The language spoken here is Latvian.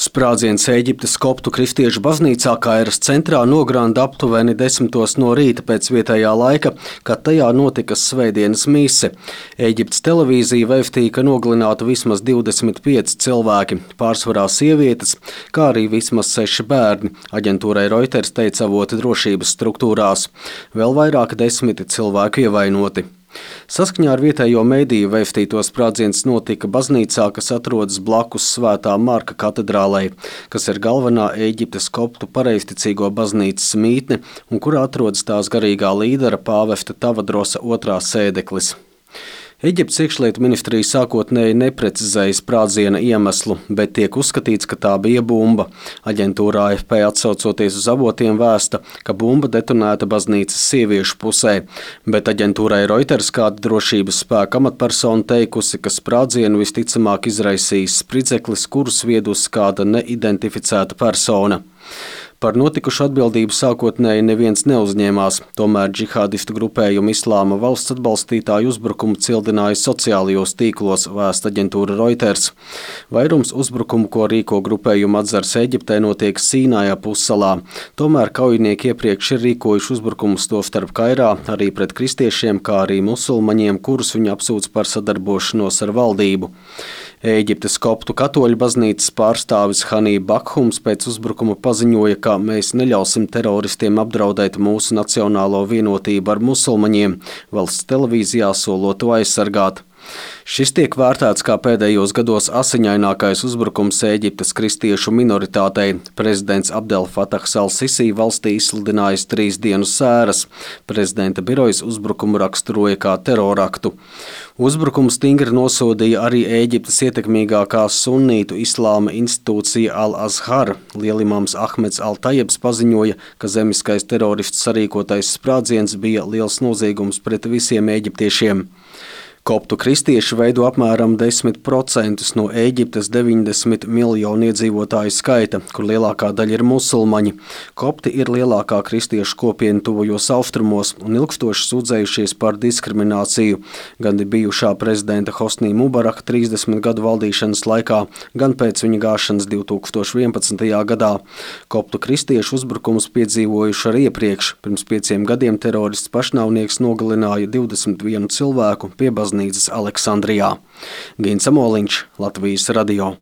Sprādziens Ēģiptes koptu kristiešu baznīcā Kairas centrā nogranda aptuveni 10 no rīta pēc vietējā laika, kad tajā notika svētdienas mise. Ēģiptes televīzija vēstīja, ka nogalināti vismaz 25 cilvēki, pārsvarā sievietes, kā arī vismaz 6 bērni. Aģentūrai Reuters teica avoti drošības struktūrās. Vēl vairāk 10 cilvēku ievainoti. Saskaņā ar vietējo mediju vēstīto sprādziens notika baznīcā, kas atrodas blakus Svētā Marka katedrālei, kas ir galvenā Ēģiptes koptu pareizticīgo baznīcas mītne un kurā atrodas tās garīgā līdera pāvesta Tavadrosa II sēdeklis. Eģiptes iekšlietu ministrija sākotnēji neprecizēja sprādziena iemeslu, bet tiek uzskatīts, ka tā bija bumba. Aģentūra AFP atsaucoties uz avotiem vēsta, ka bumba detonēta baznīcas sieviešu pusē, bet aģentūrai Reuters kāda drošības spēka amatpersona teikusi, ka sprādzienu visticamāk izraisījis spridzeklis, kurus viedusi kāda neidentificēta persona. Par notikušu atbildību sākotnēji neviens neuzņēmās, tomēr džihādistu grupējumu Islāma valsts atbalstītāju uzbrukumu cildināja sociālajos tīklos, vēsta aģentūra Reuters. Vairums uzbrukumu, ko rīko grupējumu atzars Eģiptē, notiek Sīnaja pussalā. Tomēr kaujinieki iepriekš ir rīkojuši uzbrukumus tostarp Kairā arī pret kristiešiem, kā arī musulmaņiem, kurus viņi apsūdz par sadarbošanos ar valdību. Ēģiptes koptu katoļu baznīcas pārstāvis Hanī Bakhums pēc uzbrukuma paziņoja, ka mēs neļausim teroristiem apdraudēt mūsu nacionālo vienotību ar musulmaņiem, valsts televīzijā solot to aizsargāt. Šis tiek vērtēts kā pēdējos gados asiņainākais uzbrukums Ēģiptes kristiešu minoritātei. Prezidents Abdel Fatahs al-Sisi valstī izsludinājis 3 dienu sēras. Prezidenta birojas uzbrukumu raksturoja kā teroraktu. Uzbrukumu stingri nosodīja arī Ēģiptes ietekmīgākā sunnītu islāma institūcija Al-Azhar. Lielimams Ahmeds Al-Tajebs paziņoja, ka zemiskais teroristu sarīkotais sprādziens bija liels noziegums pret visiem eģiptiešiem. Koptu kristieši veido apmēram 10% no Ēģiptes 90 miljonu iedzīvotāju skaita, kur lielākā daļa ir musulmaņi. Kopti ir lielākā kristiešu kopiena tuvajos austrumos un ilgstoši sūdzējušies par diskrimināciju, gan bijušā prezidenta Hosnī Mubaraka 30 gadu valdīšanas laikā, gan pēc viņa gāšanas 2011. gadā. Koptu kristiešu uzbrukumus piedzīvojuši arī iepriekš. Pirms 5 gadiem terorists pašnāvnieks nogalināja 21 cilvēku pie baznīcas Aleksandrijā. Gins Amoliņš, Latvijas radio.